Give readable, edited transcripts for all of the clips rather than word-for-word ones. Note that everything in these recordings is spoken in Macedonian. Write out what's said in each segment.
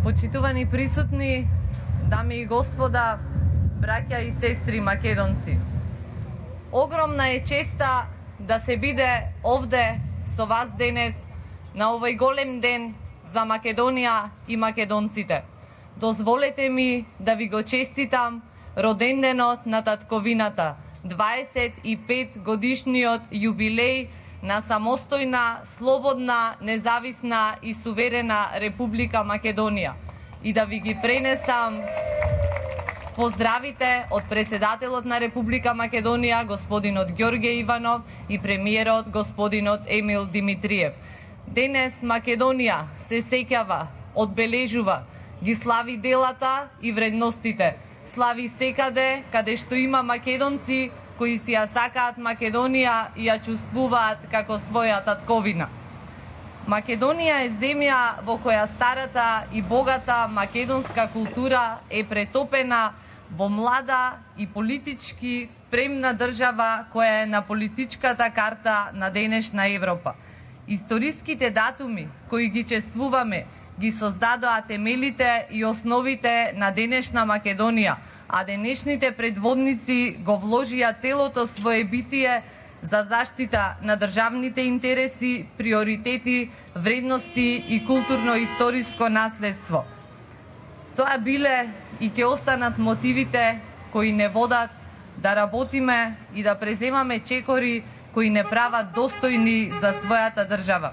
Почитувани присутни, дами и господа, браќа и сестри македонци. Огромна е честа да се биде овде со вас денес на овој голем ден за Македонија и македонците. Дозволете ми да ви го честитам роденденот на татковината, 25 годишниот јубилеј на самостојна, слободна, независна и суверена Република Македонија и да ви ги пренесам поздравите од председателот на Република Македонија, господинот Ѓорѓе Иванов и премиерот господинот Емил Димитриев. Денес Македонија се сеќава, одбележува, ги слави делата и вредностите. Слави секаде каде што има македонци кои си ја сакаат Македонија и ја чувствуваат како своја татковина. Македонија е земја во која старата и богата македонска култура е претопена во млада и политички спремна држава која е на политичката карта на денешна Европа. Историските датуми кои ги чествуваме ги создадоа темелите и основите на денешна Македонија, а денешните предводници го вложија целото свое битие за заштита на државните интереси, приоритети, вредности и културно-историско наследство. Тоа биле и ќе останат мотивите кои не водат да работиме и да преземаме чекори кои не прават достојни за својата држава.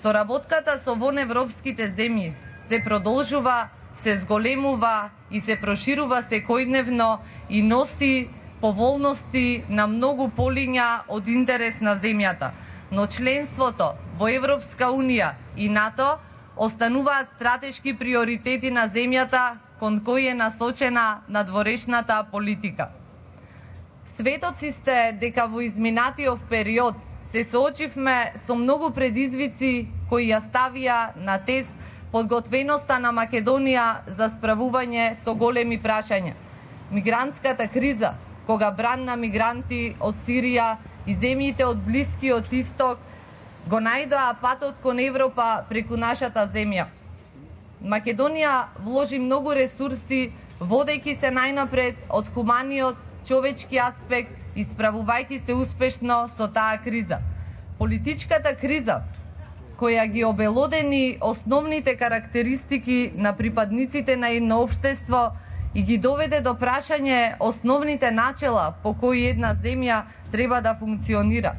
Соработката со воневропските земји се продолжува, се зголемува и се проширува секојдневно и носи поволности на многу полиња од интерес на земјата. Но членството во Европска Унија и НАТО остануваат стратешки приоритети на земјата кон кои е насочена надворешната политика. Светоци сте дека во изминатиот период се соочивме со многу предизвици кои ја ставија на тест подготвеноста на Македонија за справување со големи прашања. Мигрантската криза, кога бран на мигранти од Сирија и земјите од Блискиот Исток го најдоа патот кон Европа преку нашата земја. Македонија вложи многу ресурси, водејќи се најнапред од хуманиот човечки аспект и справувајќи се успешно со таа криза. Политичката криза, која ги обелодени основните карактеристики на припадниците на едно општество и ги доведе до прашање основните начела по кои една земја треба да функционира.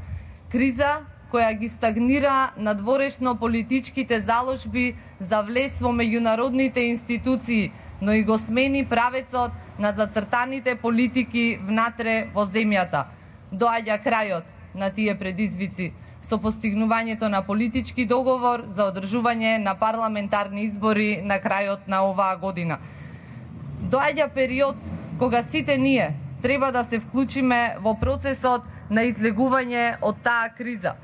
Криза која ги стагнира надворешно политичките заложби за влез во меѓународните институции, но и го смени правецот на зацртаните политики внатре во земјата. Доаѓа крајот на тие предизвици со постигнувањето на политички договор за одржување на парламентарни избори на крајот на оваа година. Доаѓа период кога сите ние треба да се вклучиме во процесот на излегување од таа криза,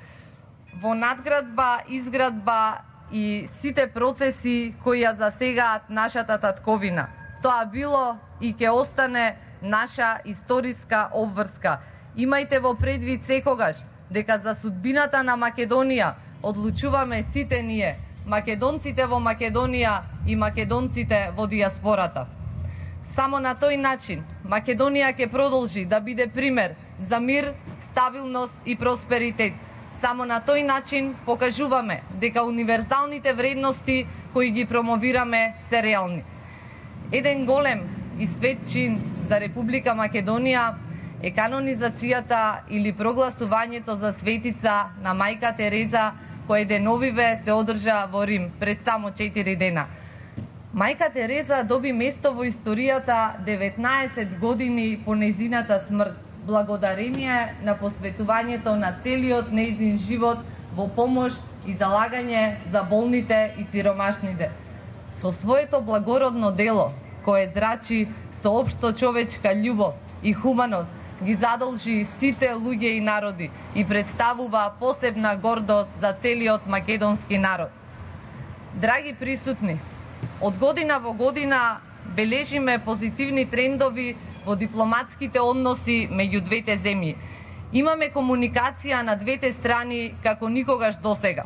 во надградба, изградба и сите процеси кои ја засегаат нашата татковина. Тоа било и ќе остане наша историска обврска. Имајте во предвид секогаш дека за судбината на Македонија одлучуваме сите ние, македонците во Македонија и македонците во дијаспората. Само на тој начин Македонија ќе продолжи да биде пример за мир, стабилност и просперитет. Само на тој начин покажуваме дека универзалните вредности кои ги промовираме се реални. Еден голем и свет чин за Република Македонија е канонизацијата или прогласувањето за светица на мајка Тереза, која деновиве се одржа во Рим пред само 4 дена. Мајка Тереза доби место во историјата 19 години по нејзината смрт, благодарение на посветувањето на целиот нејзин живот во помош и залагање за болните и сиромашните. Со своето благородно дело, кое зрачи со општо човечка љубов и хуманост, ги задолжи сите луѓе и народи и представува посебна гордост за целиот македонски народ. Драги присутни, од година во година бележиме позитивни трендови во дипломатските односи меѓу двете земји. Имаме комуникација на двете страни како никогаш досега.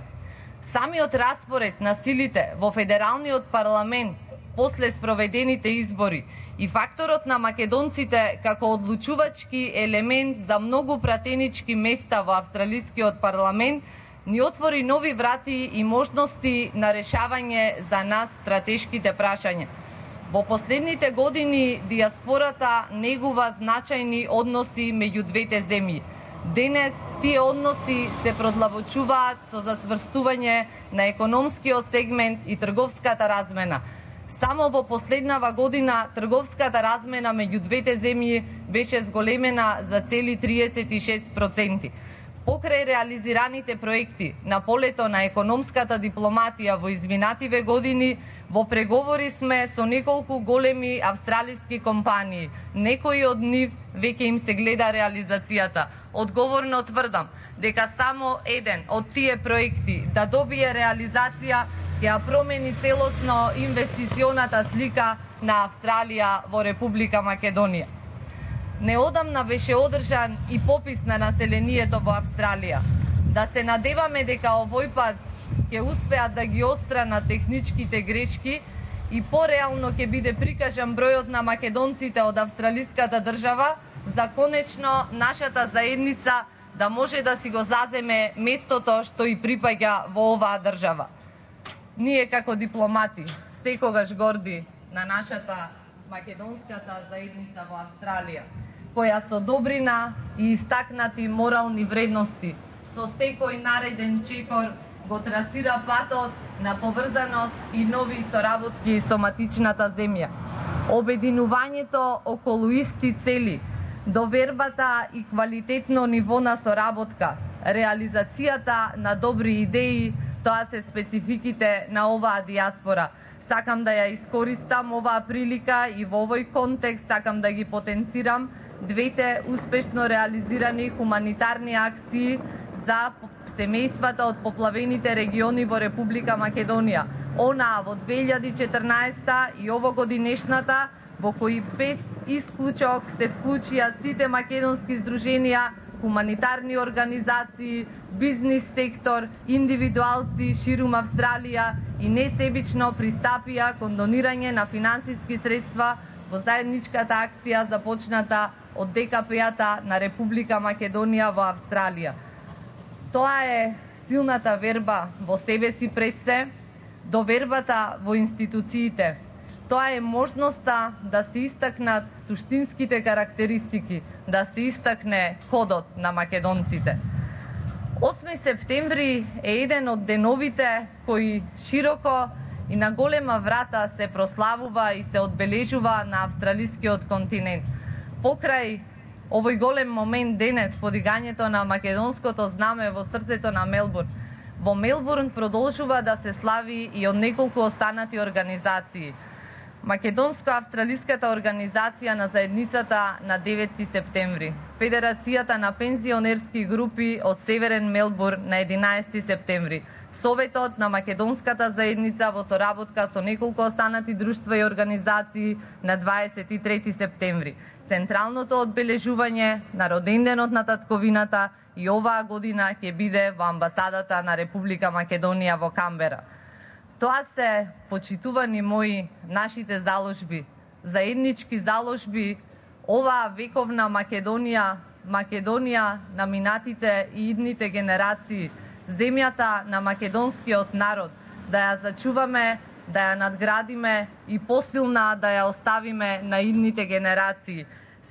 Самиот распоред на силите во федералниот парламент после спроведените избори и факторот на македонците како одлучувачки елемент за многу пратенички места во австралискиот парламент ни отвори нови врати и можности на решавање за нас стратешките прашања. Во последните години диаспората негува значајни односи меѓу двете земји. Денес тие односи се продлабочуваат со засврстување на економскиот сегмент и трговската размена. Само во последнава година трговската размена меѓу двете земји беше зголемена за цели 36%. Покрај реализираните проекти на полето на економската дипломатија во изминативе години, во преговори сме со неколку големи австралиски компании. Некои од нив веќе им се гледа реализацијата. Одговорно тврдам дека само еден од тие проекти да добие реализација ќе ја промени целосно инвестиционата слика на Австралија во Република Македонија. Неодамна беше одржан и попис на населението во Австралија. Да се надеваме дека овој пат ќе успеат да ги отстранат техничките грешки и пореално ќе биде прикажан бројот на македонците од австралиската држава, за конечно нашата заедница да може да си го заземе местото што и припаѓа во оваа држава. Ние како дипломати секогаш горди на нашата македонската заедница во Австралија, која со добрина и истакнати морални вредности со секој нареден чекор го трасира патот на поврзаност и нови соработки со матичната земја. Обединувањето околу исти цели, довербата и квалитетно ниво на соработка, реализацијата на добри идеи, тоа се спецификите на оваа диаспора. Сакам да ја искористам оваа прилика и во овој контекст сакам да ги потенцирам двете успешно реализирани хуманитарни акции за семејствата од поплавените региони во Република Македонија. Онаа во 2014 и овогодинешната, во кои без исклучок се вклучија сите македонски здруженија, хуманитарни организации, бизнис сектор, индивидуалци ширум Австралија и несебично пристапија кон донирање на финансиски средства во заедничката акција започната од ДКП-ата на Република Македонија во Австралија. Тоа е силната верба во себе си пред се, довербата во институциите. Тоа е можноста да се истакнат суштинските карактеристики, да се истакне кодот на македонците. 8 септември е еден од деновите кои широко и на голема врата се прославува и се одбележува на австралискиот континент. Покрај овој голем момент денес, подигањето на македонското знаме во срцето на Мелбурн, во Мелбурн продолжува да се слави и од неколку останати организации. Македонско-австралиската организација на заедницата на 9 септември, Федерацијата на пензионерски групи од Северен Мелбурн на 11 септември, Советот на македонската заедница во соработка со неколку останати друштва и организации на 23 септември, централното одбележување на роденденот на татковината и оваа година ќе биде во амбасадата на Република Македонија во Камбера. Тоа се, почитувани мои, нашите заложби, заеднички заложби, оваа вековна Македонија, Македонија на минатите и идните генерации, земјата на македонскиот народ, да ја зачуваме, да ја надградиме и посилна да ја оставиме на идните генерации.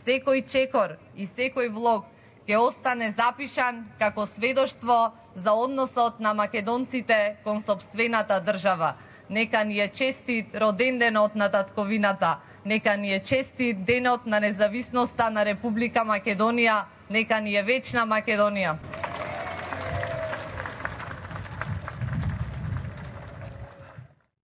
Секој чекор и секој влог ќе остане запишан како сведоштво за односот на македонците кон сопствената држава. Нека ни е честит роденденот на татковината, нека ни е честит денот на независноста на Република Македонија, нека ни е вечна Македонија.